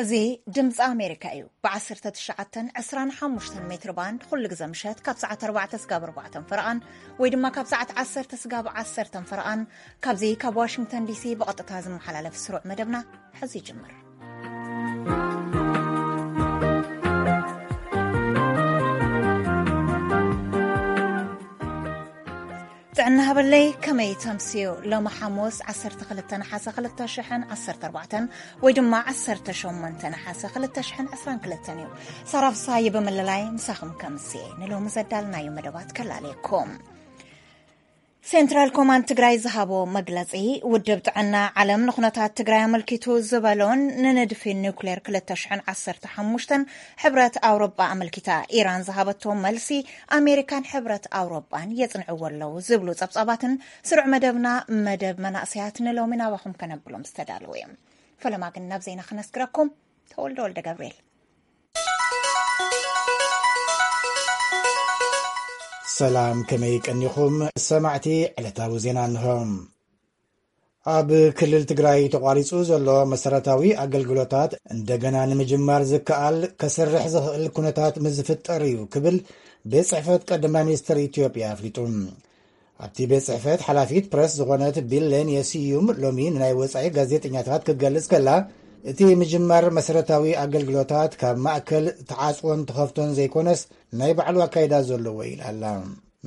እዚ ድምፂ ኣሜሪካ እዩ። ብ19፣ 25 ሜትር ባንድ ኩሉ ግዘ ምሸት ካብ ሰዓት ኣርባዕተ ስጋብ ኣርባዕተ ፈረቓን ወይ ድማ ካብ ሰዓት ዓሰርተ ስጋብ ዓሰርተ ፈረቓን ካብዚ ካብ ዋሽንግተን ዲሲ ብቐጥታ ዝመሓላለፍ ስሩዕ መደብና ሕዚ ይጅምር። ጥዕና ሃበለይ፣ ከመይ ተምስዩ? ሎሚ ሓሙስ ዓሰርተ ክልተ ነሓሰ ክልተ ሽሕን ዓሰርተ ኣርባዕተን ወይ ድማ ዓሰርተ ሸሞንተ ነሓሰ ክልተ ሽሕን ዕስራን ክልተን እዩ። ሳራ ፍሳሃየ ብምልላይ ምሳኹም ከምስየ ንሎሚ ዘዳልናዮ መደባት ከላለየኩም። ሴንትራል ኮማንድ ትግራይ ዝሃቦ መግለጺ፣ ውድብ ጥዕና ዓለም ንኩነታት ትግራይ ኣመልኪቱ ዝበሎን ንንድፊ ኒውክሌር ክልተ ሽሕን ዓሰርተ ሓሙሽተን ሕብረት ኣውሮጳ ኣመልኪታ ኢራን ዝሃበቶ መልሲ ኣሜሪካን ሕብረት ኣውሮጳን የጽንዕዎ ኣለዉ ዝብሉ ጸብጻባትን ስሩዕ መደብና መደብ መናእሰያት ንሎሚ ናባኹም ከነብሎም ዝተዳለዉ እዮም። ፈለማ ግን ናብ ዜና ክነስግረኩም። ተወልደ ወልደ ገብርኤል። ሰላም፣ ከመይ ቀኒኹም ሰማዕቲ? ዕለታዊ ዜና እንሆ። ኣብ ክልል ትግራይ ተቋሪጹ ዘሎ መሰረታዊ ኣገልግሎታት እንደገና ንምጅማር ዝከኣል ከሰርሕ ዝኽእል ኩነታት ምስ ዝፍጠር እዩ ክብል ቤት ጽሕፈት ቀዳማይ ሚኒስትር ኢትዮጵያ ኣፍሊጡ። ኣብቲ ቤት ጽሕፈት ሓላፊት ፕረስ ዝኾነት ቢሌን የስዩም ሎሚ ንናይ ወጻኢ ጋዜጠኛታት ክትገልጽ ከላ፣ እቲ ምጅማር መሰረታዊ ኣገልግሎታት ካብ ማእከል ተዓጽዎን ተኸፍቶን ዘይኮነስ ናይ ባዕሉ ኣካይዳ ዘለዎ ኢላ ኣላ።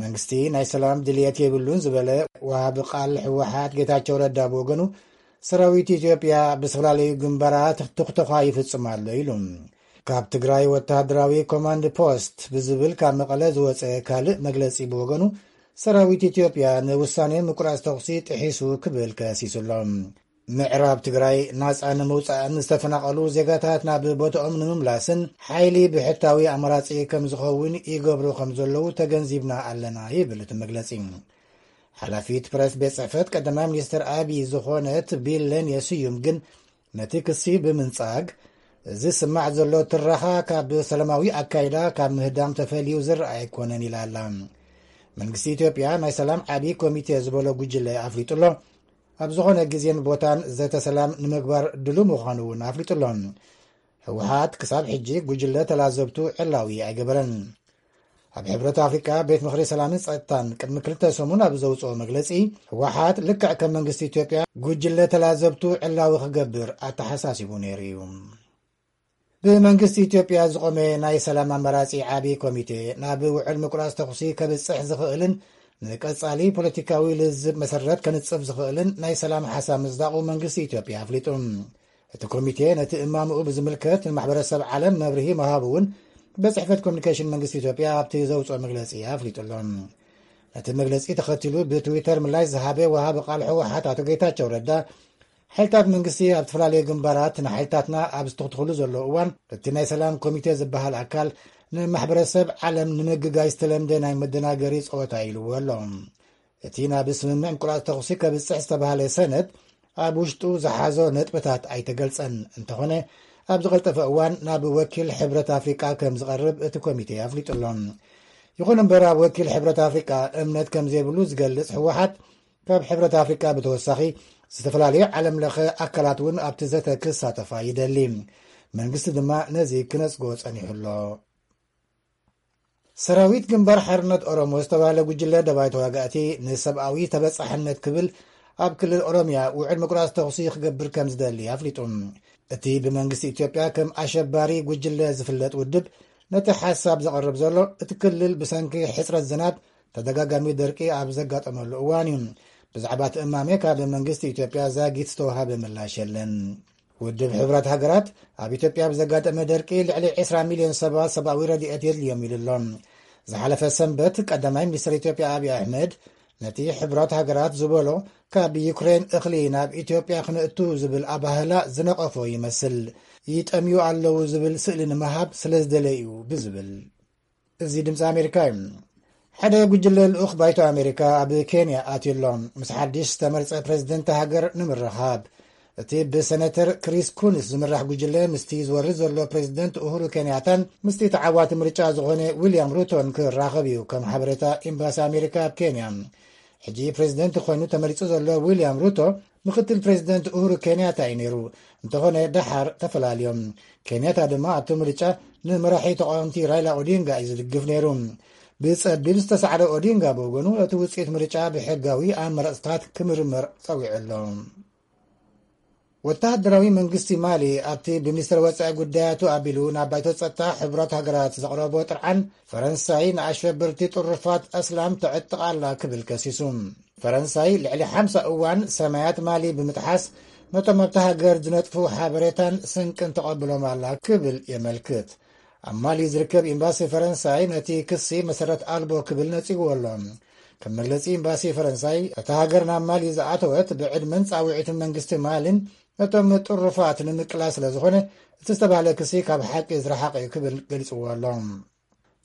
መንግስቲ ናይ ሰላም ድልየት የብሉን ዝበለ ወሃቢ ቃል ህወሓት ጌታቸው ረዳ ብወገኑ፣ ሰራዊት ኢትዮጵያ ብዝተፈላለዩ ግንባራት ትኽተኳ ይፍጽም ኣሎ ኢሉ። ካብ ትግራይ ወተሃደራዊ ኮማንድ ፖስት ብዝብል ካብ መቐለ ዝወፀ ካልእ መግለጺ ብወገኑ፣ ሰራዊት ኢትዮጵያ ንውሳኔ ምቁራጽ ተኹሲ ጥሒሱ ክብል ከሲሱ ኣሎ። ምዕራብ ትግራይ ናጻ ንምውጻእን ዝተፈናቐሉ ዜጋታት ናብ ቦታኦም ንምምላስን ሓይሊ ብሕታዊ ኣማራጺ ከም ዝኸውን ይገብሩ ከም ዘለዉ ተገንዚብና ኣለና ይብል እቲ መግለጺ። ሓላፊት ፕረስ ቤት ጽሕፈት ቀዳማይ ሚኒስትር ኣብይ ዝኾነት ቢለን የስዩም ግን ነቲ ክሲ ብምንጻግ፣ እዚ ዝስማዕ ዘሎ ትረኻ ካብ ሰላማዊ ኣካይዳ ካብ ምህዳም ተፈልዩ ዝረኣ ኣይኮነን ኢላ ኣላ። መንግስቲ ኢትዮጵያ ናይ ሰላም ዓቢ ኮሚቴ ዝበሎ ጉጅለ ኣፍሊጡ ኣሎ። ኣብ ዝኾነ ግዜን ቦታን ዘተ ሰላም ንምግባር ድሉ ምዃኑ እውን ኣፍሊጡ ኣሎ። ህወሓት ክሳብ ሕጂ ጉጅለ ተላዘብቱ ዕላዊ ኣይገበረን። ኣብ ሕብረት ኣፍሪቃ ቤት ምኽሪ ሰላምን ጸጥታን ቅድሚ ክልተ ሰሙን ኣብ ዘውጽኦ መግለጺ፣ ህወሓት ልክዕ ከም መንግስቲ ኢትዮጵያ ጉጅለ ተላዘብቱ ዕላዊ ክገብር ኣተሓሳሲቡ ነይሩ እዩ። ብመንግስቲ ኢትዮጵያ ዝቖመ ናይ ሰላም ኣማራጺ ዓቢ ኮሚቴ ናብ ውዕል ምቁራጽ ተኹሲ ከብጽሕ ዝኽእልን ንቀጻሊ ፖለቲካዊ ልዝብ መሰረት ከንጽፍ ዝኽእልን ናይ ሰላም ሓሳብ ምጽዳቑ መንግስቲ ኢትዮጵያ ኣፍሊጡ። እቲ ኮሚቴ ነቲ እማምኡ ብዝምልከት ንማሕበረሰብ ዓለም መብርሂ ምሃቡ እውን ቤት ጽሕፈት ኮሚኒኬሽን መንግስቲ ኢትዮጵያ ኣብቲ ዘውጽኦ መግለጺ ኣፍሊጡ ኣሎ። ነቲ መግለጺ ተኸቲሉ ብትዊተር ምላሽ ዝሃበ ወሃቢ ቃል ህወሓት ኣቶ ጌታቸው ረዳ፣ ሓይልታት መንግስቲ ኣብ ዝተፈላለዩ ግንባራት ንሓይልታትና ኣብ ዝተኽትኽሉ ዘለዉ እዋን፣ እቲ ናይ ሰላም ኮሚቴ ዝበሃል ኣካል ንማሕበረሰብ ዓለም ንምግጋይ ዝተለምደ ናይ መደናገሪ ጸወታ ኢልዎ ኣሎ። እቲ ናብ ስምምዕ ምቁራጽ ተኹሲ ከብጽሕ ዝተባህለ ሰነድ ኣብ ውሽጡ ዝሓዞ ነጥብታት ኣይተገልጸን። እንተኾነ፣ ኣብ ዝቐልጠፈ እዋን ናብ ወኪል ሕብረት ኣፍሪቃ ከም ዝቐርብ እቲ ኮሚቴ ኣፍሊጡ ኣሎ። ይኹን እምበር፣ ኣብ ወኪል ሕብረት ኣፍሪቃ እምነት ከም ዘይብሉ ዝገልጽ ህወሓት፣ ካብ ሕብረት ኣፍሪቃ ብተወሳኺ ዝተፈላለዩ ዓለም ለኸ ኣካላት እውን ኣብቲ ዘተ ክሳተፋ ይደሊ። መንግስቲ ድማ ነዚ ክነጽጎ ጸኒሑ ኣሎ። ሰራዊት ግንባር ሓርነት ኦሮሞ ዝተባህለ ጉጅለ ደባይ ተዋጋእቲ ንሰብኣዊ ተበጻሕነት ክብል ኣብ ክልል ኦሮምያ ውዕል ምቁራጽ ተኹሲ ክገብር ከም ዝደሊ ኣፍሊጡ። እቲ ብመንግስቲ ኢትዮጵያ ከም ኣሸባሪ ጉጅለ ዝፍለጥ ውድብ ነቲ ሓሳብ ዘቕርብ ዘሎ፣ እቲ ክልል ብሰንኪ ሕጽረት ዝናብ ተደጋጋሚ ደርቂ ኣብ ዘጋጠመሉ እዋን እዩ። ብዛዕባ እቲ እማመ ካብ መንግስቲ ኢትዮጵያ ዛጊት ዝተዋሃበ ምላሽ የለን። ውድብ ሕቡራት ሃገራት ኣብ ኢትዮጵያ ብዘጋጠመ ደርቂ ልዕሊ ዕስራ ሚልዮን ሰባት ሰብኣዊ ረድኤት የድልዮም ኢሉ ኣሎ። ዝሓለፈ ሰንበት ቀዳማይ ሚኒስትር ኢትዮጵያ ኣብይ ኣሕመድ ነቲ ሕቡራት ሃገራት ዝበሎ ካብ ዩክሬን እኽሊ ናብ ኢትዮጵያ ክነእቱ ዝብል ኣባህላ ዝነቐፎ ይመስል። ይጠምዩ ኣለዉ ዝብል ስእሊ ንምሃብ ስለ ዝደለዩ ብዝብል። እዚ ድምፂ ኣሜሪካ እዩ። ሓደ ጉጅለ ልኡኽ ባይቶ ኣሜሪካ ኣብ ኬንያ ኣትዩ ኣሎ። ምስ ሓድሽ ዝተመርጸ ፕሬዝደንት ሃገር ንምርኻብ፣ እቲ ብሰነተር ክሪስ ኩንስ ዝምራሕ ጉጅለ ምስቲ ዝወርድ ዘሎ ፕሬዝደንት ኡሁሩ ኬንያታን ምስቲ ተዓዋቲ ምርጫ ዝኾነ ዊልያም ሩቶን ክራኸብ እዩ፣ ከም ሓበሬታ ኤምባሲ ኣሜሪካ ኣብ ኬንያ። ሕጂ ፕሬዝደንት ኮይኑ ተመሪጹ ዘሎ ዊልያም ሩቶ ምክትል ፕሬዚደንት ኡሁሩ ኬንያታ እዩ ነይሩ። እንተኾነ ደሓር ተፈላልዮም። ኬንያታ ድማ ኣብቲ ምርጫ ንመራሒ ተቃወምቲ ራይላ ኦዲንጋ እዩ ዝድግፍ ነይሩ። ብጸቢብ ዝተሳዕረ ኦዲንጋ ብወገኑ እቲ ውጽኢት ምርጫ ብሕጋዊ ኣመራጽታት ክምርመር ጸዊዑ ኣሎ። ወተሃደራዊ መንግስቲ ማሊ ኣብቲ ብሚኒስትር ወጻኢ ጉዳያቱ ኣቢሉ ናብ ባይቶ ጸጥታ ሕቡራት ሃገራት ዘቕረቦ ጥርዓን ፈረንሳይ ንኣሸበርቲ ጥሩፋት ኣስላም ተዕጥቕ ኣላ ክብል ከሲሱ። ፈረንሳይ ልዕሊ ሓምሳ እዋን ሰማያት ማሊ ብምጥሓስ ነቶም ኣብቲ ሃገር ዝነጥፉ ሓበሬታን ስንቅን ተቐብሎም ኣላ ክብል የመልክት። ኣብ ማሊ ዝርከብ ኤምባሲ ፈረንሳይ ነቲ ክሲ መሰረት ኣልቦ ክብል ነጺግዎ ኣሎ። ከም መግለጺ ኤምባሲ ፈረንሳይ፣ እታ ሃገር ናብ ማሊ ዝኣተወት ብዕድመን ጻውዒትን መንግስቲ ማሊን ነቶም ጥሩፋት ንምቅላስ ስለ ዝኾነ፣ እቲ ዝተባህለ ክሲ ካብ ሓቂ ዝረሓቐ እዩ ክብል ገሊጽዎ ኣሎ።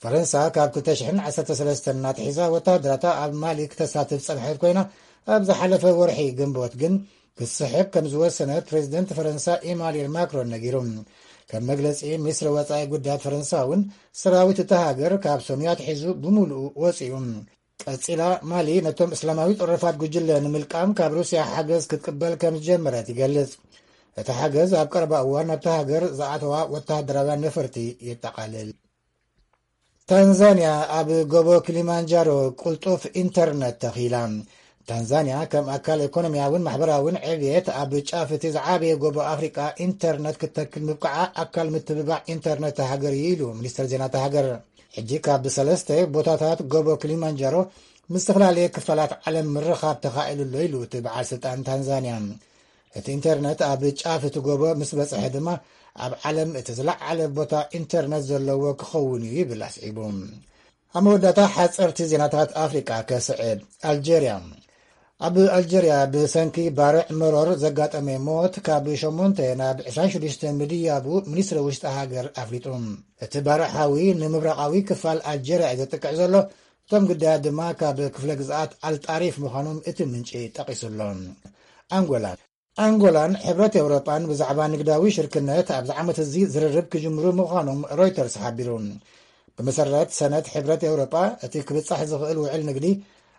ፈረንሳ ካብ ክልተ ሽሕን ዓሰርተ ሰለስተን እናትሒዛ ወተሃደራታ ኣብ ማሊ ክተሳትፍ ጸንሐት ኮይና፣ ኣብ ዝሓለፈ ወርሒ ግንቦት ግን ክትስሕብ ከም ዝወሰነት ፕሬዚደንት ፈረንሳ ኢማኑኤል ማክሮን ነጊሩ። ከም መግለጺ ሚኒስትሪ ወጻኢ ጉዳያት ፈረንሳ እውን፣ ሰራዊት እታ ሃገር ካብ ሶንያ ኣትሒዙ ብምሉኡ ወጺኡ። ቀጺላ ማሊ ነቶም እስላማዊ ጥሩፋት ጉጅለ ንምልቃም ካብ ሩስያ ሓገዝ ክትቅበል ከም ዝጀመረት ይገልጽ። እቲ ሓገዝ ኣብ ቀረባ እዋን ናብታ ሃገር ዝኣተዋ ወተሃደራውያን ነፈርቲ የጠቓልል። ታንዛንያ ኣብ ጎቦ ክሊማንጃሮ ቅልጡፍ ኢንተርነት ተኺላ። ታንዛንያ ከም ኣካል ኢኮኖሚያውን ማሕበራውን ዕብየት ኣብ ጫፍ እቲ ዝዓበየ ጎቦ ኣፍሪቃ ኢንተርነት ክትተክል ምብቃዓ ኣካል ምትብባዕ ኢንተርነት ሃገር እዩ ኢሉ ሚኒስትር ዜና እታ ሃገር። ሕጂ ካብ ሰለስተ ቦታታት ጎቦ ክሊማንጃሮ ምስ ዝተፈላለየ ክፋላት ዓለም ምርኻብ ተኻኢሉ ኣሎ ኢሉ እቲ በዓል ስልጣን ታንዛንያ። እቲ ኢንተርነት ኣብ ጫፍ እቲ ጎቦ ምስ በጽሐ ድማ ኣብ ዓለም እቲ ዝለዓለ ቦታ ኢንተርነት ዘለዎ ክኸውን እዩ ይብል ኣስዒቡ። ኣብ መወዳእታ ሓጸርቲ ዜናታት ኣፍሪቃ ከስዕብ። ኣልጀርያ። ኣብ ኣልጀርያ ብሰንኪ ባርዕ መሮር ዘጋጠመ ሞት ካብ ሸሞንተ ናብ ዕስራን ሽዱሽተ ምድያቡ ሚኒስትሪ ውሽጢ ሃገር ኣፍሊጡ። እቲ ባርዕ ሓዊ ንምብራቓዊ ክፋል ኣልጀርያ እዩ ዘጥቅዕ ዘሎ። እቶም ግዳያት ድማ ካብ ክፍለ ግዝኣት ኣልጣሪፍ ምዃኖም እቲ ምንጪ ጠቒሱ ኣሎ። ኣንጎላ። ኣንጎላን ሕብረት ኤውሮጳን ብዛዕባ ንግዳዊ ሽርክነት ኣብዚ ዓመት እዚ ዝርርብ ክጅምሩ ምዃኖም ሮይተርስ ሓቢሩ። ብመሰረት ሰነድ ሕብረት ኤውሮጳ፣ እቲ ክብጻሕ ዝኽእል ውዕል ንግዲ፣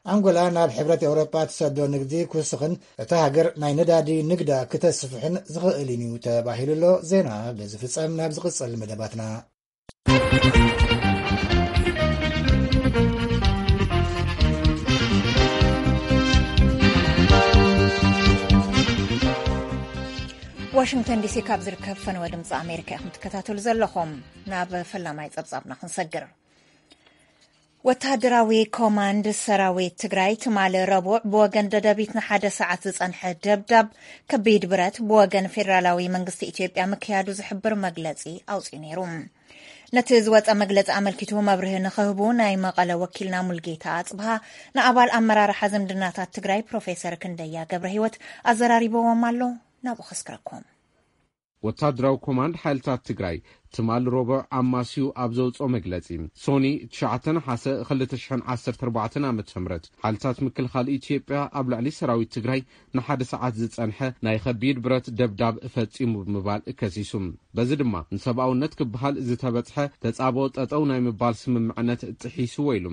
ኣንጎላ ናብ ሕብረት ኤውሮጳ ትሰዶ ንግዲ ክውስኽን እታ ሃገር ናይ ነዳዲ ንግዳ ክተስፍሕን ዝኽእልን እዩ ተባሂሉ ኣሎ። ዜና በዚ ፍጸም። ናብ ዝቕጽል መደባትና። ዋሽንግተን ዲሲ ካብ ዝርከብ ፈነወ ድምፂ ኣሜሪካ ኢኹም ትከታተሉ ዘለኹም። ናብ ፈላማይ ጸብጻብና ክንሰግር። ወተሃደራዊ ኮማንድ ሰራዊት ትግራይ ትማሊ ረቡዕ ብወገን ደደቢት ንሓደ ሰዓት ዝጸንሐ ደብዳብ ከቢድ ብረት ብወገን ፌደራላዊ መንግስቲ ኢትዮጵያ ምክያዱ ዝሕብር መግለጺ ኣውጺኡ ነይሩ። ነቲ ዝወጸ መግለጺ ኣመልኪቱ መብርሂ ንኽህቡ ናይ መቐለ ወኪልና ሙልጌታ ኣጽብሃ ንኣባል ኣመራርሓ ዝምድናታት ትግራይ ፕሮፌሰር ክንደያ ገብረ ህይወት ኣዘራሪብዎም ኣሎ። ናብኡ ከስክረኩም። ወታደራዊ ኮማንድ ሓይልታት ትግራይ ትማል ረቡዕ ኣማስዩ ኣብ ዘውፅኦ መግለፂ፣ ሶኒ ትሽዓተ ነሓሰ ክልተ ሽሕን ዓሰርተ ኣርባዕተን ዓመተ ምህረት ሓይልታት ምክልኻል ኢትዮጵያ ኣብ ልዕሊ ሰራዊት ትግራይ ንሓደ ሰዓት ዝፀንሐ ናይ ከቢድ ብረት ደብዳብ ፈፂሙ ብምባል ከሲሱ። በዚ ድማ ንሰብኣውነት ክበሃል ዝተበፅሐ ተፃብኦ ጠጠው ናይ ምባል ስምምዕነት ጥሒስዎ ኢሉ።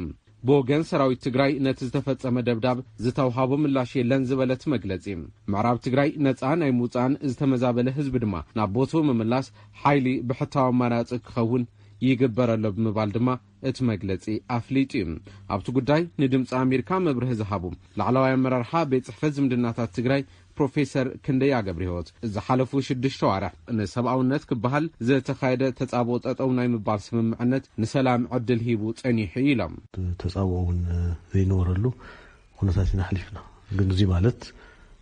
ብወገን ሰራዊት ትግራይ ነቲ ዝተፈጸመ ደብዳብ ዝተውሃቦ ምላሽ የለን ዝበለ እቲ መግለጺ፣ ምዕራብ ትግራይ ነጻ ናይ ምውጻእን ዝተመዛበለ ህዝቢ ድማ ናብ ቦትኡ ምምላስ ሓይሊ ብሕታዊ ኣማራጺ ክኸውን ይግበር ኣሎ ብምባል ድማ እቲ መግለጺ ኣፍሊጡ እዩ። ኣብቲ ጉዳይ ንድምፂ ኣሜሪካ መብርሂ ዝሃቡ ላዕለዋይ ኣመራርሓ ቤት ጽሕፈት ዝምድናታት ትግራይ ፕሮፌሰር ክንደያ ገብረህይወት፣ ዝሓለፉ ሽዱሽተ ኣዋርሕ ንሰብኣውነት ክበሃል ዝተኻየደ ተጻብኦ ጠጠው ናይ ምባል ስምምዕነት ንሰላም ዕድል ሂቡ ጸኒሑ ኢሎም። ተጻብኦ እውን ዘይነበረሉ ኩነታት ኢና ኣሕሊፍና። ግን እዚ ማለት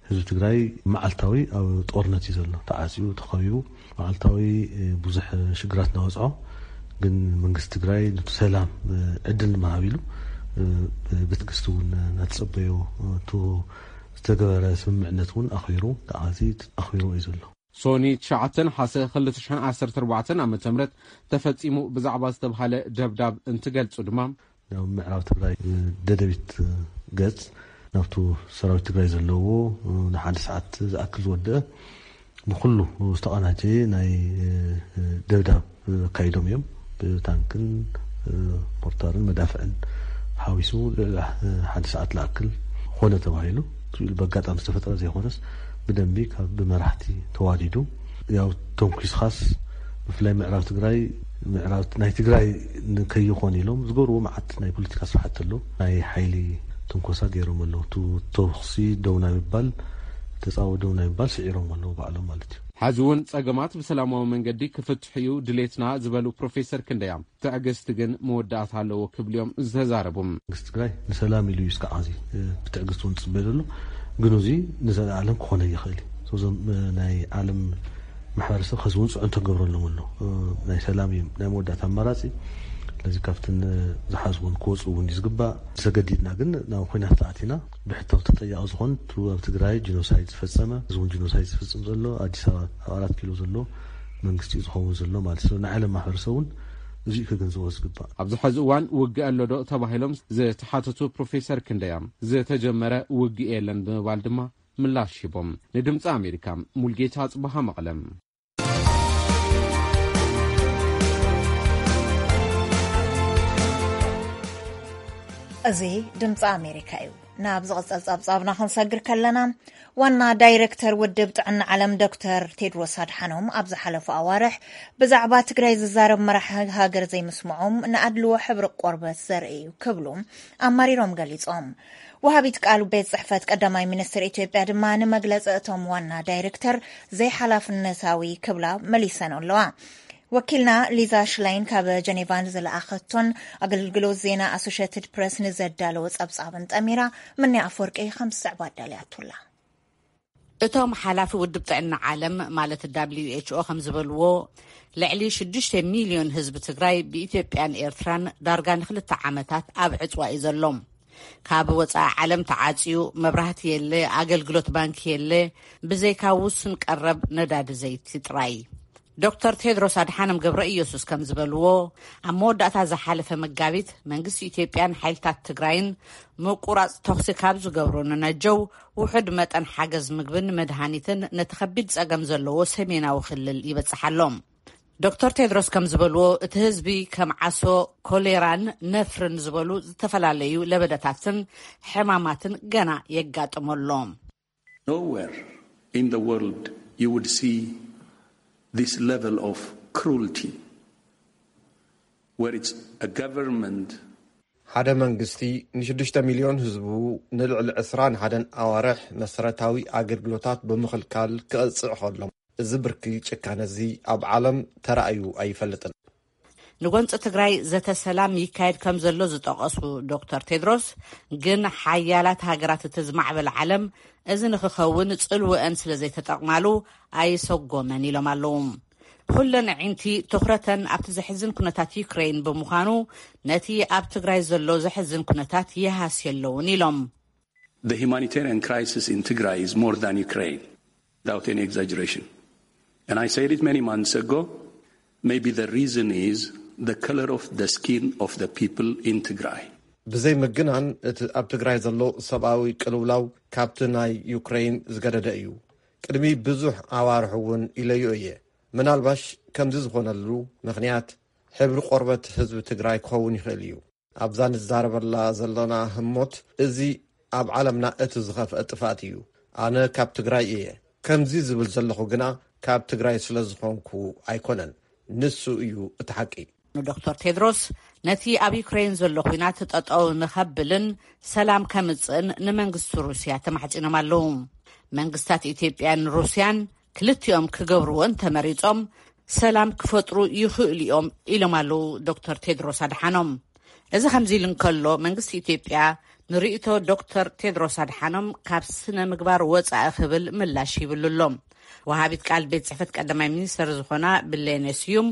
ህዝቢ ትግራይ መዓልታዊ ኣብ ጦርነት እዩ ዘሎ። ተዓጽዩ፣ ተኸቢቡ፣ መዓልታዊ ብዙሕ ሽግራት እናወፅዖ፣ ግን መንግስቲ ትግራይ ነቲ ሰላም ዕድል ንምሃብ ኢሉ ብትዕግስቲ እውን እናተጸበዮ፣ እቲ ዝተገበረ ስምምዕነት እውን ኣኽቢሩ፣ ተዓዚ ኣኽቢሩ እዩ ዘሎ። ሶኒ ትሽዓተ ነሓሰ ክልተ ሽሕን ዓሰርተ ኣርባዕተን ዓመተ ምህረት ተፈጺሙ ብዛዕባ ዝተባህለ ደብዳብ እንትገልጹ ድማ፣ ናብ ምዕራብ ትግራይ ደደቢት ገጽ ናብቱ ሰራዊት ትግራይ ዘለዎ ንሓደ ሰዓት ዝኣክል ዝወደአ ብኩሉ ዝተቐናጀየ ናይ ደብዳብ ኣካይዶም እዮም። ብታንክን ሞርታርን መዳፍዕን ሓዊሱ ልዕሊ ሓደ ሰዓት ዝኣክል ኮነ ተባሂሉ። ብኣጋጣሚ ዝተፈጠረ ዘይኮነስ ብደንቢ ካብ ብመራሕቲ ተዋዲዱ፣ ያው ተንኪስኻስ ብፍላይ ምዕራብ ትግራይ፣ ምዕራብ ናይ ትግራይ ከይኾን ኢሎም ዝገብርዎ መዓት ናይ ፖለቲካ ስራሕቲ ኣሎ። ናይ ሓይሊ ትንኮሳ ገይሮም ኣለዉ። ቱ ተኹሲ ደው ናይ ምባል፣ ተፃወ ደው ናይ ምባል ስዒሮም ኣለዉ ባዕሎም ማለት እዩ። ሕዚ እውን ጸገማት ብሰላማዊ መንገዲ ክፍትሑ እዩ ድሌትና ዝበሉ ፕሮፌሰር ክንደያ፣ ትዕግስቲ ግን መወዳእታ ኣለዎ ክብሉ እዮም ዝተዛረቡ። መንግስቲ ትግራይ ንሰላም ኢሉ እዩ እስካዕ እዚ ብትዕግስቲ እውን ዝፅበ ዘሎ። ግን እዚ ንዘለኣለም ክኾነ ይኽእል እዩ። እዞም ናይ ዓለም ማሕበረሰብ ከዚ እውን ፅዕንቶ ክገብረሎም ኣሎ። ናይ ሰላም እዩ ናይ መወዳእታ ኣማራፂ። ስለዚ ካብትን ዝሓዝውን ክወፁ እውን እዩ ዝግባእ። ተገዲድና ግን ናብ ኩናት ተኣቲና ብሕታዊ ተጠያቂ ዝኾን እቲ ኣብ ትግራይ ጂኖሳይድ ዝፈፀመ፣ እዚ እውን ጂኖሳይድ ዝፍፅም ዘሎ ኣዲስ ኣበባ ኣብ ኣራት ኪሎ ዘሎ መንግስቲ እዩ ዝኸውን ዘሎ ማለት እዩ። ናይ ዓለም ማሕበረሰብ እውን እዚ ክግንዘቦ ዝግባእ። ኣብዚ ሕዚ እዋን ውግእ ኣሎ ዶ ተባሂሎም ዝተሓተቱ ፕሮፌሰር ክንደያ፣ ዝተጀመረ ውግእ የለን ብምባል ድማ ምላሽ ሂቦም። ንድምፂ ኣሜሪካ ሙልጌታ ጽባሃ መቐለም። እዚ ድምፂ ኣሜሪካ እዩ። ናብ ዝቕፅል ፀብፃብና ክንሰግር ከለና፣ ዋና ዳይሬክተር ውድብ ጥዕና ዓለም ዶክተር ቴድሮስ ኣድሓኖም ኣብ ዝሓለፉ ኣዋርሕ ብዛዕባ ትግራይ ዝዛረብ መራሒ ሃገር ዘይምስምዖም ንኣድልዎ ሕብሪ ቆርበት ዘርኢ እዩ ክብሉ ኣማሪሮም ገሊፆም። ወሃቢት ቃል ቤት ጽሕፈት ቀዳማይ ሚኒስትር ኢትዮጵያ ድማ ንመግለፂ እቶም ዋና ዳይሬክተር ዘይሓላፍነታዊ ክብላ መሊሰን ኣለዋ። ወኪልና ሊዛ ሽላይን ካብ ጀኔቫ ዝለኣኸቶን ኣገልግሎት ዜና ኣሶሽትድ ፕረስ ንዘዳለወ ጸብጻብን ጠሚራ፣ ምንያ ኣፈወርቂ ከም ዝስዕብ ኣዳልያቱላ። እቶም ሓላፊ ውድብ ጥዕና ዓለም ማለት ደብሊው ኤች ኦ ከም ዝበልዎ፣ ልዕሊ ሽዱሽተ ሚልዮን ህዝቢ ትግራይ ብኢትዮጵያን ኤርትራን ዳርጋ ንክልተ ዓመታት ኣብ ዕፅዋ እዩ ዘሎ። ካብ ወፃኢ ዓለም ተዓፅዩ፣ መብራህቲ የለ፣ ኣገልግሎት ባንኪ የለ፣ ብዘይካ ውሱን ቀረብ ነዳዲ ዘይቲ ጥራይ። ዶክተር ቴድሮስ ኣድሓኖም ገብረ ኢየሱስ ከም ዝበልዎ፣ ኣብ መወዳእታ ዝሓለፈ መጋቢት መንግስቲ ኢትዮጵያን ሓይልታት ትግራይን ምቁራፅ ተኹሲ ካብ ዝገብሩ ንነጀው ውሑድ መጠን ሓገዝ ምግብን መድሃኒትን ነቲ ከቢድ ፀገም ዘለዎ ሰሜናዊ ክልል ይበፅሓሎም። ዶክተር ቴድሮስ ከም ዝበልዎ፣ እቲ ህዝቢ ከም ዓሶ፣ ኮሌራን ነፍርን ዝበሉ ዝተፈላለዩ ለበዳታትን ሕማማትን ገና የጋጥመሎም። Nowhere in the world you would see this level of cruelty, where it's a government. ሓደ መንግስቲ ንሽዱሽተ ሚልዮን ህዝቡ ንልዕሊ ዕስራን ሓደን ኣዋርሕ መሰረታዊ ኣገልግሎታት ብምኽልካል ክቐጽዕ ከሎ፣ እዚ ብርኪ ጭካነ እዚ ኣብ ዓለም ተራእዩ ኣይፈልጥን። ንጎንፂ ትግራይ ዘተ ሰላም ይካየድ ከም ዘሎ ዝጠቐሱ ዶክተር ቴድሮስ፣ ግን ሓያላት ሃገራት እቲ ዝማዕበለ ዓለም እዚ ንክኸውን ጽልወአን ስለ ዘይተጠቕማሉ ኣይሰጎመን ኢሎም ኣለዉ። ኩለን ኣዒንቲ ትኹረተን ኣብቲ ዘሕዝን ኩነታት ዩክሬን ብምዃኑ፣ ነቲ ኣብ ትግራይ ዘሎ ዘሕዝን ኩነታት ይሃስዮ ኣለውን ኢሎም። The humanitarian crisis in Tigray is more than Ukraine, without any exaggeration. And I said it many months ago, maybe the reason is the color of the skin of the people in Tigray. ብዘይ ምግናን፣ እቲ ኣብ ትግራይ ዘሎ ሰብኣዊ ቅልውላው ካብቲ ናይ ዩክሬን ዝገደደ እዩ። ቅድሚ ብዙሕ ኣዋርሕ እውን ኢለዮ እየ። ምናልባሽ ከምዚ ዝኾነሉ ምኽንያት ሕብሪ ቆርበት ህዝቢ ትግራይ ክኸውን ይኽእል እዩ። ኣብዛ ንዛረበላ ዘለና ህሞት፣ እዚ ኣብ ዓለምና እቲ ዝኸፍአ ጥፍኣት እዩ። ኣነ ካብ ትግራይ እየ። ከምዚ ዝብል ዘለኹ ግና ካብ ትግራይ ስለ ዝኾንኩ ኣይኮነን። ንሱ እዩ እቲ ሓቂ። ንዶክተር ቴድሮስ፣ ነቲ ኣብ ዩክሬን ዘሎ ኲናት ጠጠው ንኸብልን ሰላም ከምጽእን ንመንግስቲ ሩስያ ተማሕጺኖም ኣለዉ። መንግስታት ኢትዮጵያን ሩስያን ክልቲኦም ክገብርዎ እንተመሪጾም ሰላም ክፈጥሩ ይኽእሉ እዮም ኢሎም ኣለዉ ዶክተር ቴድሮስ ኣድሓኖም። እዚ ከምዚ ኢሉ እንከሎ፣ መንግስቲ ኢትዮጵያ ንርእይቶ ዶክተር ቴድሮስ ኣድሓኖም ካብ ስነ ምግባር ወጻኢ ክብል ምላሽ ሂብሉ ኣሎ። ወሃቢት ቃል ቤት ጽሕፈት ቀዳማይ ሚኒስተር ዝኾና ብሌነ ስዩም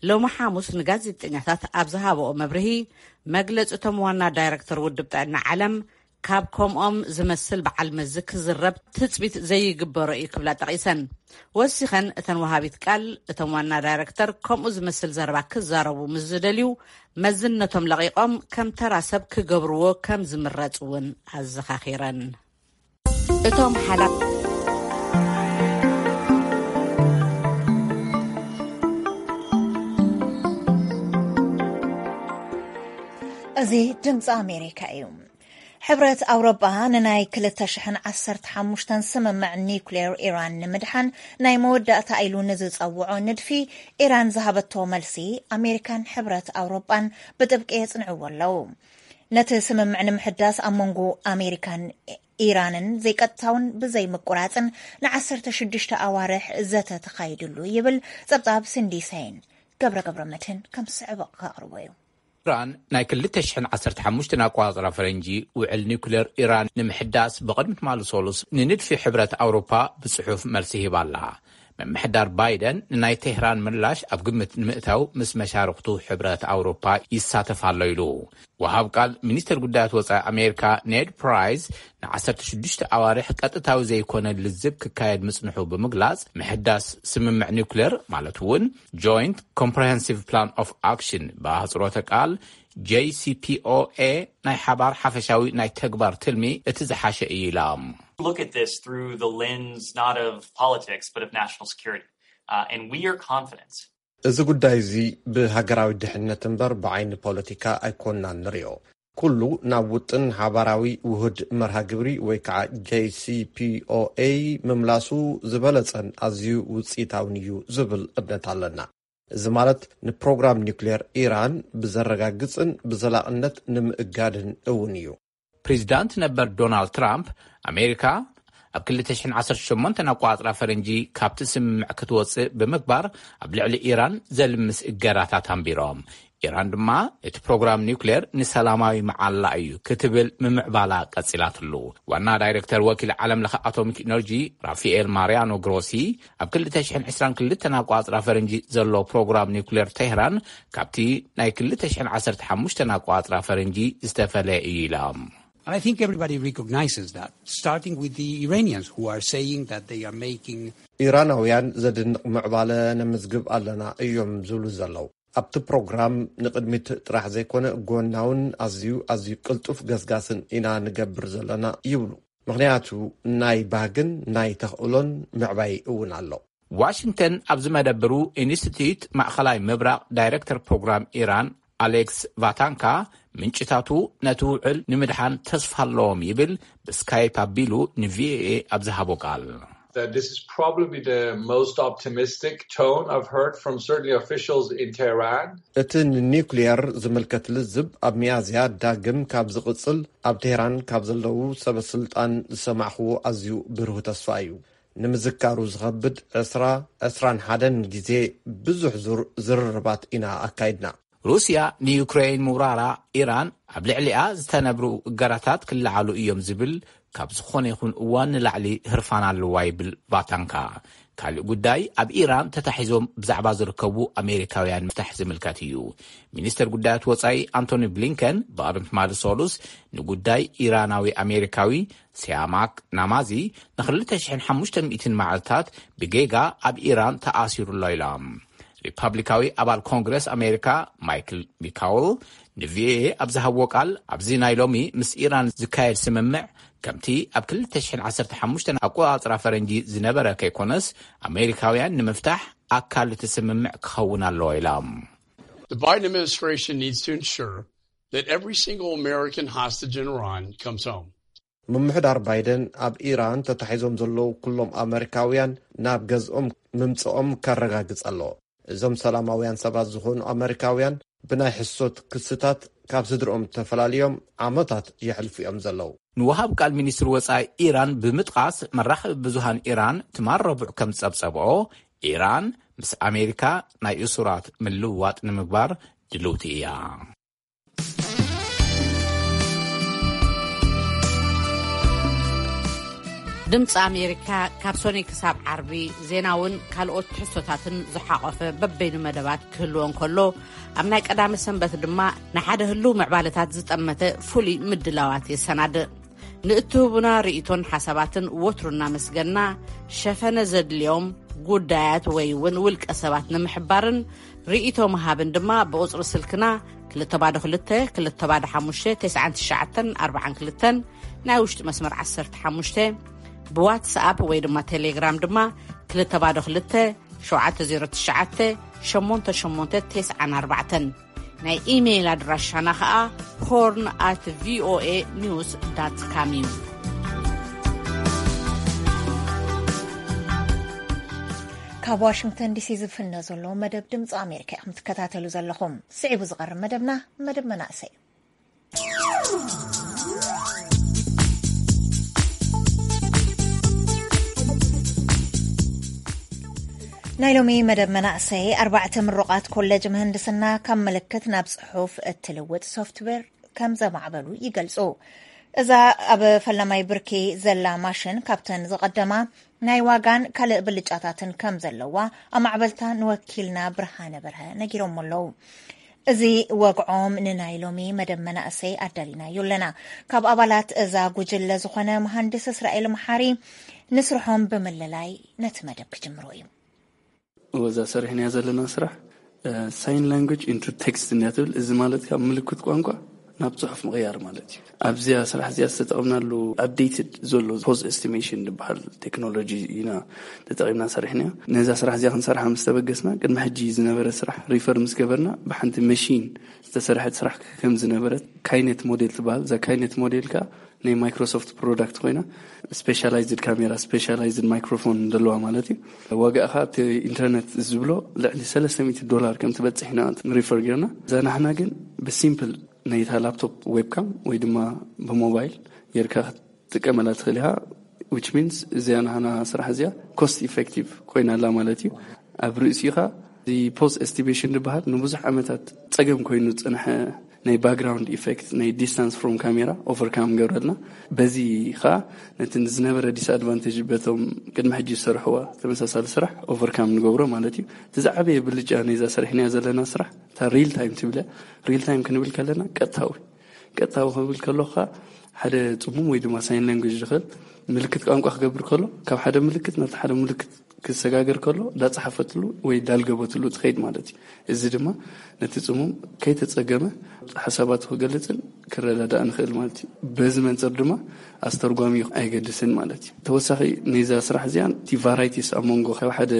ሎሚ ሓሙስ ንጋዜጠኛታት ኣብ ዝሃበኦ መብርሂ፣ መግለጺ እቶም ዋና ዳይረክተር ውድብ ጥዕና ዓለም ካብ ከምኦም ዝመስል በዓል መዚ ክዝረብ ትጽቢት ዘይግበሮ እዩ ክብላ ጠቒሰን። ወሲኸን እተን ወሃቢት ቃል፣ እቶም ዋና ዳይረክተር ከምኡ ዝመስል ዘረባ ክዛረቡ ምስ ዝደልዩ፣ መዝነቶም ለቒቖም ከም ተራ ሰብ ክገብርዎ ከም ዝምረጽ እውን ኣዘኻኺረን። እቶም ሓላ እዚ ድምፂ ኣሜሪካ እዩ። ሕብረት ኣውሮጳ ንናይ ክልተ ሽሕን ዓሰርተ ሓሙሽተን ስምምዕ ኒውክሌር ኢራን ንምድሓን ናይ መወዳእታ ኢሉ ንዝጸውዖ ንድፊ ኢራን ዝሃበቶ መልሲ፣ ኣሜሪካን ሕብረት ኣውሮጳን ብጥብቂ የጽንዕዎ ኣለዉ። ነቲ ስምምዕ ንምሕዳስ ኣብ መንጎ ኣሜሪካን ኢራንን ዘይቀጥታውን ብዘይ ምቁራጽን ንዓሰርተ ሽዱሽተ ኣዋርሕ ዘተ ተኻይድሉ ይብል ጸብጻብ ሲንዲ ሰይን። ገብረ ገብረ መድህን ከም ዝስዕብ ከቕርቦ እዩ። ኢራን ናይ ክልተ ሽሕን ዓሰርተ ሓሙሽተን ኣቆጻጽራ ፈረንጂ ውዕል ኒውክሌር ኢራን ንምሕዳስ ብቕድሚ ትማሊ ሰሉስ ንንድፊ ሕብረት ኣውሮፓ ብጽሑፍ መልሲ ሂባ ኣላ። ምምሕዳር ባይደን ንናይ ቴህራን ምላሽ ኣብ ግምት ንምእታው ምስ መሻርኽቱ ሕብረት ኣውሮፓ ይሳተፍ ኣሎ ኢሉ። ወሃብ ቃል ሚኒስተር ጉዳያት ወጻኢ ኣሜሪካ ኔድ ፕራይስ ንዓሰርተ ሽዱሽተ ኣዋርሕ ቀጥታዊ ዘይኮነ ልዝብ ክካየድ ምጽንሑ ብምግላጽ፣ ምሕዳስ ስምምዕ ኒውክሌር ማለት እውን ጆይንት ኮምፕሬሄንሲቭ ፕላን ኦፍ ኣክሽን ብኣህጽሮተ ቃል ጄሲፒኦኤ ናይ ሓባር ሓፈሻዊ ናይ ተግባር ትልሚ እቲ ዝሓሸ እዩ ኢላ። Look at this through the lens not of politics but of national security. Uh, and we are confident እዚ ጉዳይ እዚ ብሃገራዊ ድሕነት እምበር ብዓይኒ ፖለቲካ ኣይኮንናን ንሪኦ። ኩሉ ናብ ውጥን ሓባራዊ ውሁድ መርሃ ግብሪ ወይ ከዓ ጄሲፒኦኤ ምምላሱ ዝበለጸን ኣዝዩ ውፅኢታውን እዩ ዝብል እምነት ኣለና። እዚ ማለት ንፕሮግራም ኒውክሌር ኢራን ብዘረጋግጽን ብዘላቕነት ንምእጋድን እውን እዩ። ፕሬዚዳንት ነበር ዶናልድ ትራምፕ፣ ኣሜሪካ ኣብ ክልተ ሽሕን ዓሰርተ ሸሞንተን ኣቆጻጽራ ፈረንጂ ካብቲ ስምምዕ ክትወጽእ ብምግባር ኣብ ልዕሊ ኢራን ዘልምስ እገዳታት ኣንቢሮም። ኢራን ድማ እቲ ፕሮግራም ኒውክሌር ንሰላማዊ መዓላ እዩ ክትብል ምምዕባላ ቀጺላትሉ። ዋና ዳይሬክተር ወኪል ዓለም ለኸ ኣቶሚክ ኢነርጂ ራፋኤል ማሪያኖ ግሮሲ፣ ኣብ ክልተ ሽሕን ዕስራን ክልተን ኣቆጻጽራ ፈረንጂ ዘሎ ፕሮግራም ኒውክሌር ቴህራን ካብቲ ናይ ክልተ ሽሕን ዓሰርተ ሓሙሽተን ኣቆጻጽራ ፈረንጂ ዝተፈለየ እዩ ኢሎም። And I think everybody recognizes that, starting with the Iranians who are saying that they are making ኢራናውያን ዘድንቕ ምዕባለ ነምዝግብ ኣለና እዮም ዝብሉ ዘለዉ። ኣብቲ ፕሮግራም ንቕድሚት ጥራሕ ዘይኮነ ጎናውን ኣዝዩ ኣዝዩ ቅልጡፍ ገስጋስን ኢና ንገብር ዘለና ይብሉ። ምኽንያቱ ናይ ባህግን ናይ ተኽእሎን ምዕባይ እውን ኣሎ። ዋሽንግተን ኣብ ዝመደብሩ ኢንስቲትዩት ማእኸላይ ምብራቕ ዳይሬክተር ፕሮግራም ኢራን ኣሌክስ ቫታንካ፣ ምንጭታቱ ነቲ ውዕል ንምድሓን ተስፋ ኣለዎም ይብል ብስካይፕ ኣቢሉ ንቪኦኤ ኣብ ዝሃቦ ቃል። That this is probably the most optimistic tone I've heard from certainly officials in Tehran. እቲ ንኒውክሊየር ዝምልከት ልዝብ ኣብ ሚያዝያ ዳግም ካብ ዝቕጽል ኣብ ቴህራን ካብ ዘለዉ ሰበ ስልጣን ዝሰማዕኽዎ ኣዝዩ ብሩህ ተስፋ እዩ። ንምዝካሩ ዝኸብድ ዕስራ ዕስራን ሓደን ግዜ ብዙሕ ዙር ዝርርባት ኢና ኣካይድና። ሩስያ ንዩክሬን ምውራራ ኢራን ኣብ ልዕሊኣ ዝተነብሩ እገዳታት ክለዓሉ እዮም ዝብል ካብ ዝኾነ ይኹን እዋን ንላዕሊ ህርፋን ኣለዋ ይብል ቫታንካ። ካልእ ጉዳይ ኣብ ኢራን ተታሒዞም ብዛዕባ ዝርከቡ ኣሜሪካውያን ምፍታሕ ዝምልከት እዩ። ሚኒስተር ጉዳያት ወጻኢ ኣንቶኒ ብሊንከን ብቐደም ትማሊ ሰሉስ ንጉዳይ ኢራናዊ ኣሜሪካዊ ሲያማክ ናማዚ ንክልተ ሽሕን ሓሙሽተ ሚእትን መዓልታት ብጌጋ ኣብ ኢራን ተኣሲሩ ኣሎ ኢሎም። ሪፓብሊካዊ ኣባል ኮንግረስ ኣሜሪካ ማይክል ሚካውል ንቪኦኤ ኣብ ዝሃብዎ ቃል፣ ኣብዚ ናይ ሎሚ ምስ ኢራን ዝካየድ ስምምዕ ከምቲ ኣብ ክልተ ሽሕን ዓሰርተ ሓሙሽተን ኣቆጻጽራ ፈረንጂ ዝነበረ ከይኮነስ፣ ኣሜሪካውያን ንምፍታሕ ኣካል እቲ ስምምዕ ክኸውን ኣለዎ ኢሎም። The Biden administration needs to ensure that every single American hostage in Iran comes home. ምምሕዳር ባይደን ኣብ ኢራን ተታሒዞም ዘለዉ ኩሎም ኣመሪካውያን ናብ ገዝኦም ምምጽኦም ከረጋግጽ ኣለዎ። እዞም ሰላማውያን ሰባት ዝኾኑ ኣመሪካውያን ብናይ ሕሶት ክስታት ካብ ስድርኦም ተፈላልዮም ዓመታት የሕልፉ እዮም ዘለዉ። ንወሃብ ቃል ሚኒስትሪ ወጻኢ ኢራን ብምጥቓስ፣ መራኸቢ ብዙሃን ኢራን ትማል ረቡዕ ከም ዝጸብጸብኦ፣ ኢራን ምስ ኣሜሪካ ናይ እሱራት ምልውዋጥ ንምግባር ድልውቲ እያ። ድምፂ ኣሜሪካ ካብ ሶኒ ክሳብ ዓርቢ ዜናውን ካልኦት ትሕዝቶታትን ዝሓቖፈ በበይኑ መደባት ክህልዎ እንከሎ፣ ኣብ ናይ ቀዳመ ሰንበት ድማ ንሓደ ህልው ምዕባለታት ዝጠመተ ፍሉይ ምድላዋት የሰናድእ። ንእትህቡና ርእይቶን ሓሳባትን ወትሩ እናመስገና፣ ሸፈነ ዘድልዮም ጉዳያት ወይ እውን ውልቀ ሰባት ንምሕባርን ርእይቶ ምሃብን ድማ ብቁጽሪ ስልክና ክልተ ባዶ ክልተ፣ ክልተ ባዶ ሓሙሽተ፣ ተስዓን ትሽዓተን ኣርባዓን ክልተን፣ ናይ ውሽጢ መስመር ዓሰርተ ሓሙሽተ፣ ብዋትስኣፕ ወይ ድማ ቴሌግራም ድማ ክልተ ባዶ ክልተ፣ ሸውዓተ ዜሮ ትሽዓተ፣ ሸሞንተ ሸሞንተ ተስዓን ኣርባዕተን። ናይ ኢሜይል ኣድራሻና ኸኣ ሆርን ኣት ቪኦኤ ኒውስ ዳት ካም እዩ። ካብ ዋሽንግተን ዲሲ ዝፍነ ዘሎ መደብ ድምፂ ኣሜሪካ ኢኹም ትከታተሉ ዘለኹም። ስዒቡ ዝቐርብ መደብና መደብ መናእሰይ። ናይ ሎሚ መደብ መናእሰይ ኣርባዕተ ምሩቓት ኮሌጅ ምህንድስና ካብ ምልክት ናብ ጽሑፍ እትልውጥ ሶፍትዌር ከም ዘማዕበሉ ይገልጹ። እዛ ኣብ ፈላማይ ብርኪ ዘላ ማሽን ካብተን ዝቐደማ ናይ ዋጋን ካልእ ብልጫታትን ከም ዘለዋ ኣማዕበልታ ንወኪልና ብርሃነ በርሀ ነጊሮም ኣለዉ። እዚ ወግዖም ንናይ ሎሚ መደብ መናእሰይ ኣዳሊናዮ ኣለና። ካብ ኣባላት እዛ ጉጅለ ዝኾነ መሃንድስ እስራኤል መሓሪ ንስርሖም ብምልላይ ነቲ መደብ ክጅምሮ እዩ። ወዛ ሰሪሕናያ ዘለና ስራሕ ሳይን ላንጉጅ ኢንቱ ቴክስት እንዲያ ትብል። እዚ ማለት ካብ ምልክት ቋንቋ ናብ ጽሑፍ ምቕያር ማለት እዩ። ኣብዚያ ስራሕ እዚኣ ዝተጠቕምናሉ ኣፕዴትድ ዘሎ ፖዝ ኤስቲሜሽን ዝበሃል ቴክኖሎጂ ኢና ተጠቒምና ሰሪሕናዮ። ነዛ ስራሕ እዚኣ ክንሰርሓ ምስ ተበገስና ቅድሚ ሕጂ ዝነበረ ስራሕ ሪፈር ምስ ገበርና ብሓንቲ መሺን ዝተሰርሐት ስራሕ ከም ዝነበረት ካይኔት ሞዴል ትበሃል። እዛ ካይኔት ሞዴል ከኣ ናይ ማይክሮሶፍት ፕሮዳክት ኮይና ስፔሻላይዝድ ካሜራ ስፔሻላይዝድ ማይክሮፎን ዘለዋ ማለት እዩ። ዋጋኣ ከኣ ኣብቲ ኢንተርነት ዝብሎ ልዕሊ ሰለስተ ሚእቲ ዶላር ከም ትበጽሕ ኢና ሪፈር ጌርና። እዛ ናሕና ግን ብሲምፕል ነይታ ላፕቶፕ ዌብካም ወይ ድማ ብሞባይል ጌርካ ክትጥቀመላ ትኽእል ኢኻ። ዊች ሚንስ እዚኣ ናህና ስራሕ እዚኣ ኮስት ኢፌክቲቭ ኮይና ኣላ ማለት እዩ። ኣብ ርእሲኡ ኸኣ እዚ ፖዝ ኤስቲሜሽን ዝበሃል ንብዙሕ ዓመታት ጸገም ኮይኑ ዝጸንሐ ናይ ባክግራውንድ ኢፌክት ናይ ዲስታንስ ፍሮም ካሜራ ኦቨርካም ገብረልና። በዚ ኸኣ ነቲ ዝነበረ ዲስኣድቫንቴጅ በቶም ቅድሚ ሕጂ ዝሰርሕዋ ተመሳሳሊ ስራሕ ኦቨርካም ንገብሮ ማለት እዩ። እቲ ዝዓበየ ብልጫ ነዛ ሰሪሕናያ ዘለና ስራሕ እታ ሪል ታይም ትብል እያ። ሪል ታይም ክንብል ከለና ቀጥታዊ ቀጥታዊ ክብል ከሎ ኸኣ ሓደ ጽሙም ወይ ድማ ሳይን ላንጉጅ ዝኽእል ምልክት ቋንቋ ክገብር ከሎ ካብ ሓደ ምልክት ናብቲ ሓደ ምልክት ክሰጋገር ከሎ ዳጸሓፈትሉ ወይ ዳልገበትሉ ትኸይድ ማለት እዩ። እዚ ድማ ነቲ ጽሙም ከይተጸገመ ሓሳባቱ ክገልጽን ክረዳዳእ ንኽእል ማለት እዩ። በዚ መንጽር ድማ ኣስተርጓሚ ኣይገድስን ማለት እዩ። ተወሳኺ ነዛ ስራሕ እዚኣን እቲ ቫራይቲስ ኣብ መንጎ ካብ ሓደ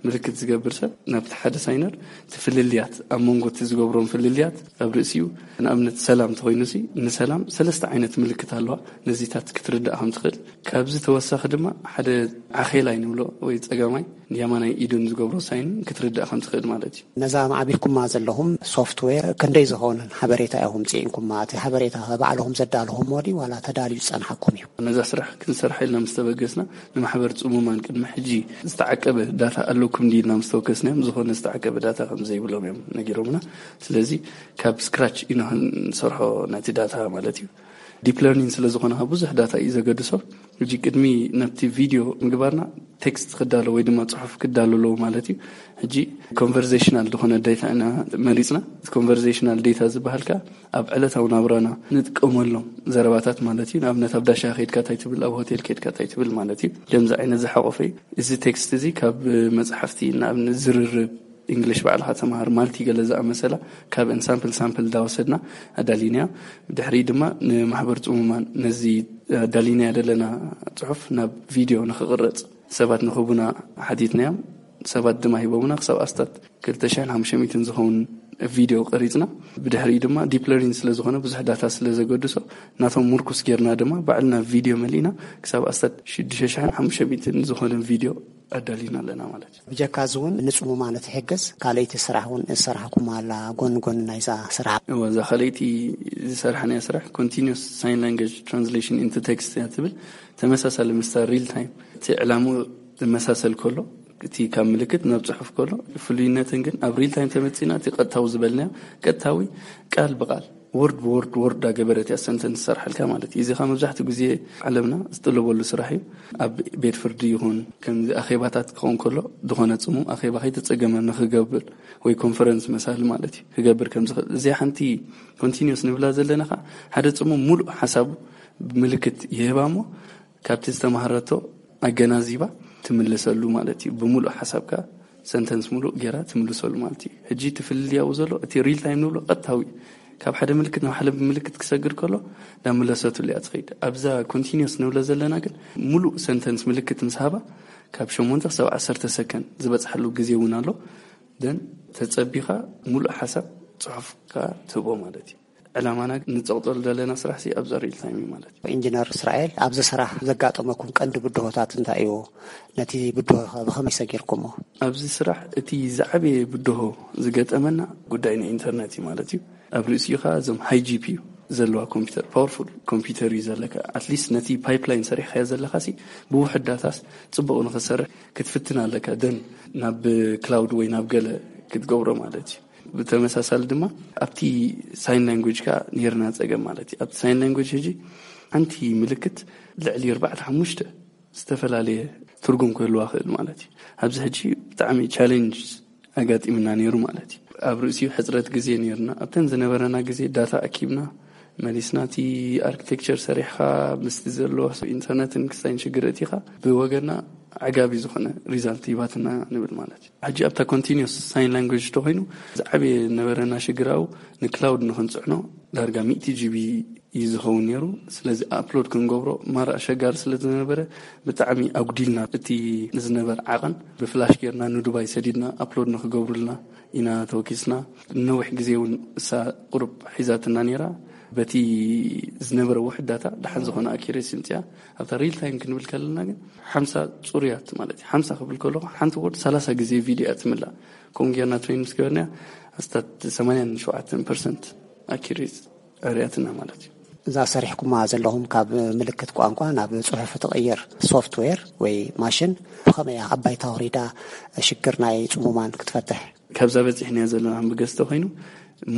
ምልክት ዝገብር ሰብ ናብቲ ሓደ ሳይነር እቲ ፍልልያት ኣብ መንጎ እቲ ዝገብሮም ፍልልያት ኣብ ርእሲኡ ንኣብነት ሰላም ተኾይኑ ሲ ንሰላም ሰለስተ ዓይነት ምልክት ኣለዋ። ነዚታት ክትርዳእ ከም ትኽእል ካብዚ ተወሳኺ ድማ ሓደ ዓኼላይ ንብሎ ወይ ጸጋማይ የማናይ ኢዱን ዝገብሮ ሳይን ክትርዳእ ከም ትኽእል ማለት እዩ። ነዛ ማዕቢልኩማ ዘለኹም ሶፍትዌር ክንደይ ዝኾነን ሓበሬታ ኢኹም ጽዒንኩማ? እቲ ሓበሬታ ባዕልኹም ዘዳለኹሞ ድዩ ዋላ ተዳልዩ ዝጸንሓኩም እዩ? ነዛ ስራሕ ክንሰርሓ ኢልና ምስ ተበገስና ንማሕበር ጽሙማን ቅድሚ ሕጂ ዝተዓቀበ ዳታ ኣለኩም ድዩ ኢልና ምስ ተወከስናዮም ዝኾነ ዝተዓቀበ ዳታ ከም ዘይብሎም እዮም ነጊሮምና። ስለዚ ካብ ስክራች ኢና ክንሰርሖ ነቲ ዳታ ማለት እዩ። ዲፕ ለርኒንግ ስለ ዝኾነ ብዙሕ ዳታ እዩ ዘገድሶ። ሕጂ ቅድሚ ናብቲ ቪድዮ ምግባርና ቴክስት ክዳሎ ወይ ድማ ጽሑፍ ክዳሎ ኣለዎ ማለት እዩ። ሕጂ ኮንቨርሴሽናል ዝኾነ ዴታ ኢና መሪጽና። ኮንቨርሴሽናል ዴታ ዝበሃል ከኣ ኣብ ዕለታዊ ናብራና ንጥቀመሎም ዘረባታት ማለት እዩ። ንኣብነት ኣብ ዳሻ ከድካ እንታይ ትብል፣ ኣብ ሆቴል ከድካ እንታይ ትብል ማለት እዩ። ከምዚ ዓይነት ዝሓቆፈ እዩ። እዚ ቴክስት እዚ ካብ መጽሓፍቲ ንኣብነት ዝርርብ እንግሊሽ ባዕልኻ ተምሃር ማልቲ ገለ ዝኣመሰላ ካብ እንሳምፕል ሳምፕል እንዳወሰድና ኣዳሊናዮ። ብድሕሪ ድማ ንማሕበር ጽሙማን ነዚ ኣዳሊናዮ ዘለና ጽሑፍ ናብ ቪድዮ ንኽቕረጽ ሰባት ንኽቡና ሓቲትናዮም። ሰባት ድማ ሂቦምና ክሳብ ኣስታት ክልተ ሽሕን ሓሙሽተ ሚእትን ዝኸውን ቪድዮ ቀሪጽና። ብድሕሪኡ ድማ ዲፕ ለርኒንግ ስለ ዝኾነ ብዙሕ ዳታ ስለ ዘገድሶ ናቶም ምርኩስ ጌርና ድማ ባዕልና ቪድዮ መሊእና ክሳብ ኣስታት ሽዱሽተ ሽሕን ሓሙሽተ ሚእትን ዝኾነ ቪድዮ ኣዳሊና ኣለና ማለት እዩ። ብጀካ እዚ እውን ንጽሙማን ትሕግዝ ካልኣይቲ ስራሕ እውን ዝሰራሕኩም ኣላ ጎን ጎን ናይዛ ስራሕ? እወ፣ እዛ ካልኣይቲ ዝሰርሓናያ ስራሕ ኮንቲኒስ ሳይን ላንጉጅ ትራንስሌሽን ኢንቱ ቴክስት እያ ትብል። ተመሳሳሊ ምስታ ሪል ታይም እቲ ዕላምኡ ዝመሳሰል ከሎ እቲ ካብ ምልክት ናብ ጽሑፍ ከሎ ፍሉይነትን ግን ኣብ ሪል ታይም ተመጺና እቲ ቀጥታዊ ዝበልናዮ ቀጥታዊ ቃል ብቃል ወርድ ብወርድ ወርድ ዳገበረት እያ ሰንተንስ ትሰርሓልካ ማለት እዩ። እዚ ኻ መብዛሕትኡ ግዜ ዓለምና ዝጥለበሉ ስራሕ እዩ። ኣብ ቤት ፍርዲ ይኹን ከምዚ ኣኼባታት ክኸውን ከሎ ዝኾነ ጽሙም ኣኼባ ከይተጸገመ ንኽገብር ወይ ኮንፈረንስ መሳሊ ማለት እዩ ክገብር ከም ዝኽእል እዚኣ ሓንቲ ኮንቲኒስ ንብላ ዘለና ኸዓ ሓደ ጽሙም ሙሉእ ሓሳቡ ብምልክት ይህባ እሞ ካብቲ ዝተማሃረቶ ኣገናዚባ ትምልሰሉ ማለት እዩ። ብምሉእ ሓሳብካ ሰንተንስ ሙሉእ ጌራ ትምልሰሉ ማለት እዩ። ሕጂ እቲ ፍልልይ ኣብኡ ዘሎ እቲ ሪል ታይም ንብሎ ቀጥታዊ እዩ። ካብ ሓደ ምልክት ናብ ሓደ ምልክት ክሰግር ከሎ ናብ ምለሰትሉ እያ ትኸይድ። ኣብዛ ኮንቲኒስ ንብሎ ዘለና ግን ሙሉእ ሰንተንስ ምልክት ምስ ሃባ ካብ ሸሞንተ ክሳብ ዓሰርተ ሰከንድ ዝበፅሓሉ ግዜ እውን ኣሎ። ደን ተፀቢኻ ሙሉእ ሓሳብ ጽሑፍ ከኣ ትህቦ ማለት እዩ። ዕላማና ንጸቕጠሉ ዘለና ስራሕ ሲ ኣብዛ ሪል ታይም እዩ ማለት እዩ። ኢንጂነር እስራኤል፣ ኣብዚ ስራሕ ዘጋጠመኩም ቀንዲ ብድሆታት እንታይ እዩ? ነቲ ብድሆ ከ ብኸመይ ሰጊርኩሞ? ኣብዚ ስራሕ እቲ ዝዓበየ ብድሆ ዝገጠመና ጉዳይ ናይ ኢንተርነት እዩ ማለት እዩ። ኣብ ርእሲኡ ከዓ እዞም ሃይ ጂ ፒ ዩ ዘለዋ ኮምፒውተር፣ ፓወርፉል ኮምፒውተር እዩ ዘለካ። ኣትሊስት ነቲ ፓይፕላይን ሰሪሕካዮ ዘለካ ሲ ብውሕድ ዳታስ ጽቡቕ ንክሰርሕ ክትፍትን ኣለካ። ደን ናብ ክላውድ ወይ ናብ ገለ ክትገብሮ ማለት እዩ። ብተመሳሳሊ ድማ ኣብቲ ሳይን ላንጉጅ ከዓ ነርና ጸገም ማለት እዩ። ኣብቲ ሳይን ላንጉጅ ሕጂ ሓንቲ ምልክት ልዕሊ ኣርባዕተ ሓሙሽተ ዝተፈላለየ ትርጉም ክህልዋ ክእል ማለት እዩ። ኣብዚ ሕጂ ብጣዕሚ ቻሌንጅ ኣጋጢምና ነይሩ ማለት እዩ። ኣብ ርእሲኡ ሕፅረት ግዜ ነይርና። ኣብተን ዝነበረና ግዜ ዳታ ኣኪብና መሊስና፣ እቲ ኣርኪቴክቸር ሰሪሕካ ምስቲ ዘሎ ኢንተርነትን ክስታይን ሽግር እቲኻ ብወገና ዓጋቢ ዝኾነ ሪዛልት ሂባትና ንብል ማለት እዩ። ሕጂ ኣብታ ኮንቲኒስ ሳይን ላንጉጅ ተኮይኑ ዝዓበየ ነበረና ሽግር ኣብኡ ንክላውድ ንክንፅዕኖ ዳርጋ ሚእቲ ጂቢ እዩ ዝኸውን ነይሩ። ስለዚ ኣፕሎድ ክንገብሮ ማራ ኣሸጋሪ ስለ ዝነበረ ብጣዕሚ ኣጉዲልና እቲ ዝነበር ዓቐን ብፍላሽ ጌርና ንዱባይ ሰዲድና ኣፕሎድ ንክገብሩልና ኢና ተወኪስና። ነዊሕ ግዜ እውን እሳ ቁሩብ ሒዛትና ነይራ። በቲ ዝነበረ ውሕዳታ ደሓን ዝኾነ ኣኪሬሲ ምፅያ ኣብታ ሪል ታይም ክንብል ከለና ግን ሓምሳ ፅሩያት ማለት እዩ። ሓምሳ ክብል ከለኹ ሓንቲ ወርድ ሰላሳ ግዜ ቪድዮ እያ ትምላእ። ከምኡ ጌርና ትሬን ምስ ገበርና ኣስታት ሰማንያን ሸውዓተን ፐርሰንት ኣኪሬት ኣርእያትና ማለት እዩ። እዛ ሰሪሕኩማ ዘለኹም ካብ ምልክት ቋንቋ ናብ ፅሑፍ ትቕይር ሶፍትዌር ወይ ማሽን ብኸመይ እያ ኣብ ባይታ ወሪዳ ሽግር ናይ ፅሙማን ክትፈትሕ? ካብዛ በፂሕናዮ ዘለና ብገዝተ ኮይኑ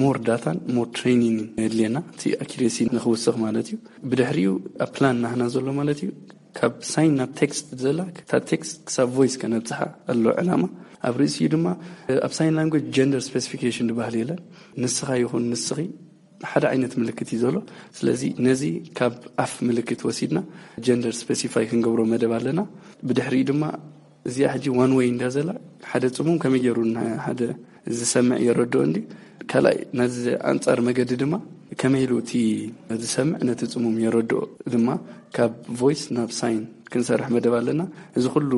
ሞር ዳታን ሞር ትሬኒንግ የድልየና እቲ ኣኪሬሲ ንክውስኽ ማለት እዩ። ብድሕሪኡ ኣብ ፕላን ናህና ዘሎ ማለት እዩ ካብ ሳይን ናብ ቴክስት ዘላ እታ ቴክስት ክሳብ ቮይስ ከነብፅሓ ኣሎ ዕላማ። ኣብ ርእሲኡ ድማ ኣብ ሳይን ላንጉጅ ጀንደር ስፔሲፊኬሽን ዝበሃል የለን። ንስኻ ይኹን ንስኺ ሓደ ዓይነት ምልክት እዩ ዘሎ። ስለዚ ነዚ ካብ ኣፍ ምልክት ወሲድና ጀንደር ስፔሲፋይ ክንገብሮ መደብ ኣለና። ብድሕሪኡ ድማ እዚኣ ሕጂ ዋን ወይ እንዳ ዘላ ሓደ ጽሙም ከመይ ገይሩ ንሓደ ዝሰምዕ የረድኦ እንዲ ካልኣይ ነዚ ኣንጻር መገዲ ድማ ከመይ ኢሉ እቲ ዝሰምዕ ነቲ ጽሙም የረድኦ ድማ ካብ ቮይስ ናብ ሳይን ክንሰርሕ መደብ ኣለና። እዚ ኩሉ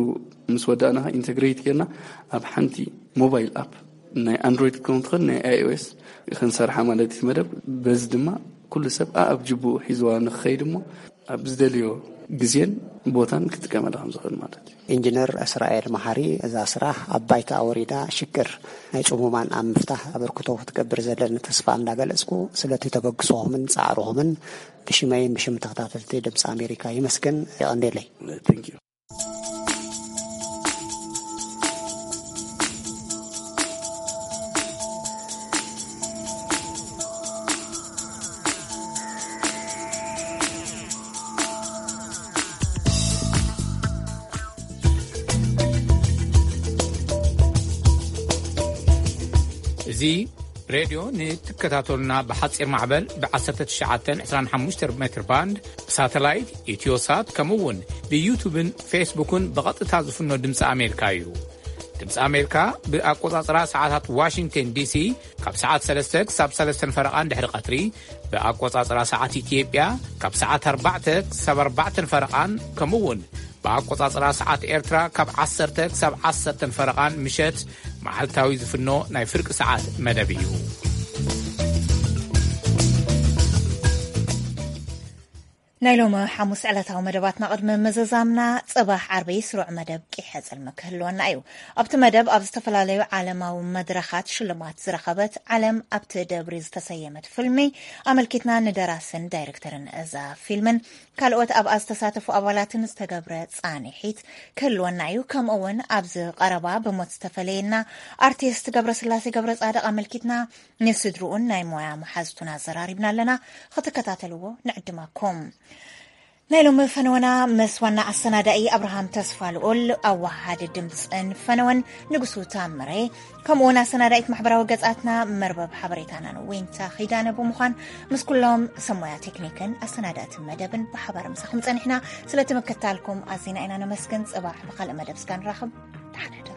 ምስ ወዳእና ኢንተግሬት ጌርና ኣብ ሓንቲ ሞባይል ኣፕ ናይ ኣንድሮይድ ክኸውን ትኽእል ናይ ኣይኦኤስ ክንሰርሓ ማለት እዩ መደብ። በዚ ድማ ኩሉ ሰብ ኣኣብ ጅቡኡ ሒዝዋ ንክኸይድ እሞ ኣብ ዝደልዮ ግዜን ቦታን ክጥቀመላ ከም ዝኽእል ማለት እዩ። ኢንጂነር እስራኤል መሓሪ፣ እዛ ስራሕ ኣብ ባይታ ኣወሪዳ ሽግር ናይ ጽሙማን ኣብ ምፍታሕ ኣበርክቶ ክትገብር ዘለኒ ተስፋ እንዳገለጽኩ ስለቲ ተበግሶኹምን ጻዕርኹምን ብሽመይን ብሽም ተኸታተልቲ ድምፂ ኣሜሪካ ይመስገን። የቐንዴለይ። እዚ ሬድዮ ንትከታተሉና ብሓፂር ማዕበል ብ1925 ሜትር ባንድ ብሳተላይት ኢትዮሳት ከምኡ እውን ብዩቱብን ፌስቡክን ብቐጥታ ዝፍኖ ድምፂ ኣሜሪካ እዩ። ድምፂ ኣሜሪካ ብኣቆፃፅራ ሰዓታት ዋሽንግተን ዲሲ ካብ ሰዓት ሰለስተ ክሳብ ሰለስተን ፈረቓን ድሕሪ ቀትሪ፣ ብኣቆፃፅራ ሰዓት ኢትዮጵያ ካብ ሰዓት ኣርባዕተ ክሳብ ኣርባዕተን ፈረቓን ከምኡ እውን ብኣቆጻጽራ ሰዓት ኤርትራ ካብ ዓሰርተ ክሳብ ዓሰርተን ፈረቓን ምሸት መዓልታዊ ዝፍኖ ናይ ፍርቂ ሰዓት መደብ እዩ። ናይ ሎሚ ሓሙስ ዕለታዊ መደባትና ቅድሚ ምዝዛምና፣ ጽባሕ ዓርቢ ስሩዕ መደብ ቂሐ ጽልሚ ክህልወና እዩ። ኣብቲ መደብ ኣብ ዝተፈላለዩ ዓለማዊ መድረኻት ሽልማት ዝረኸበት ዓለም ኣብቲ ደብሪ ዝተሰየመት ፊልሚ ኣመልኪትና ንደራስን ዳይሬክተርን እዛ ፊልምን ካልኦት ኣብኣ ዝተሳተፉ ኣባላትን ዝተገብረ ጻንሒት ክህልወና እዩ። ከምኡ እውን ኣብዚ ቀረባ ብሞት ዝተፈለየና ኣርቲስት ገብረስላሴ ገብረጻድቕ ኣመልኪትና ንስድርኡን ናይ ሞያ መሓዝቱን ኣዘራሪብና ኣለና። ክትከታተልዎ ንዕድመኩም። ናይ ሎሚ ፈነወና ምስ ዋና ኣሰናዳኢ ኣብርሃም ተስፋ ልኡል፣ ኣዋሃዲ ድምፅን ፈነወን ንጉሱ ታምሬ፣ ከምኡ እውን ኣሰናዳኢት ማሕበራዊ ገጻትና መርበብ ሓበሬታናን ዊንታ ኺዳነ ብምዃን ምስ ኩሎም ሰብ ሞያ ቴክኒክን ኣሰናዳእቲ መደብን ብሓባር ምሳኹም ጸኒሕና። ስለቲ ምክታልኩም ኣዚና ኢና ነመስግን። ጽባሕ ብኻልእ መደብ ስጋ ንራኸብ። ተሓደዱ።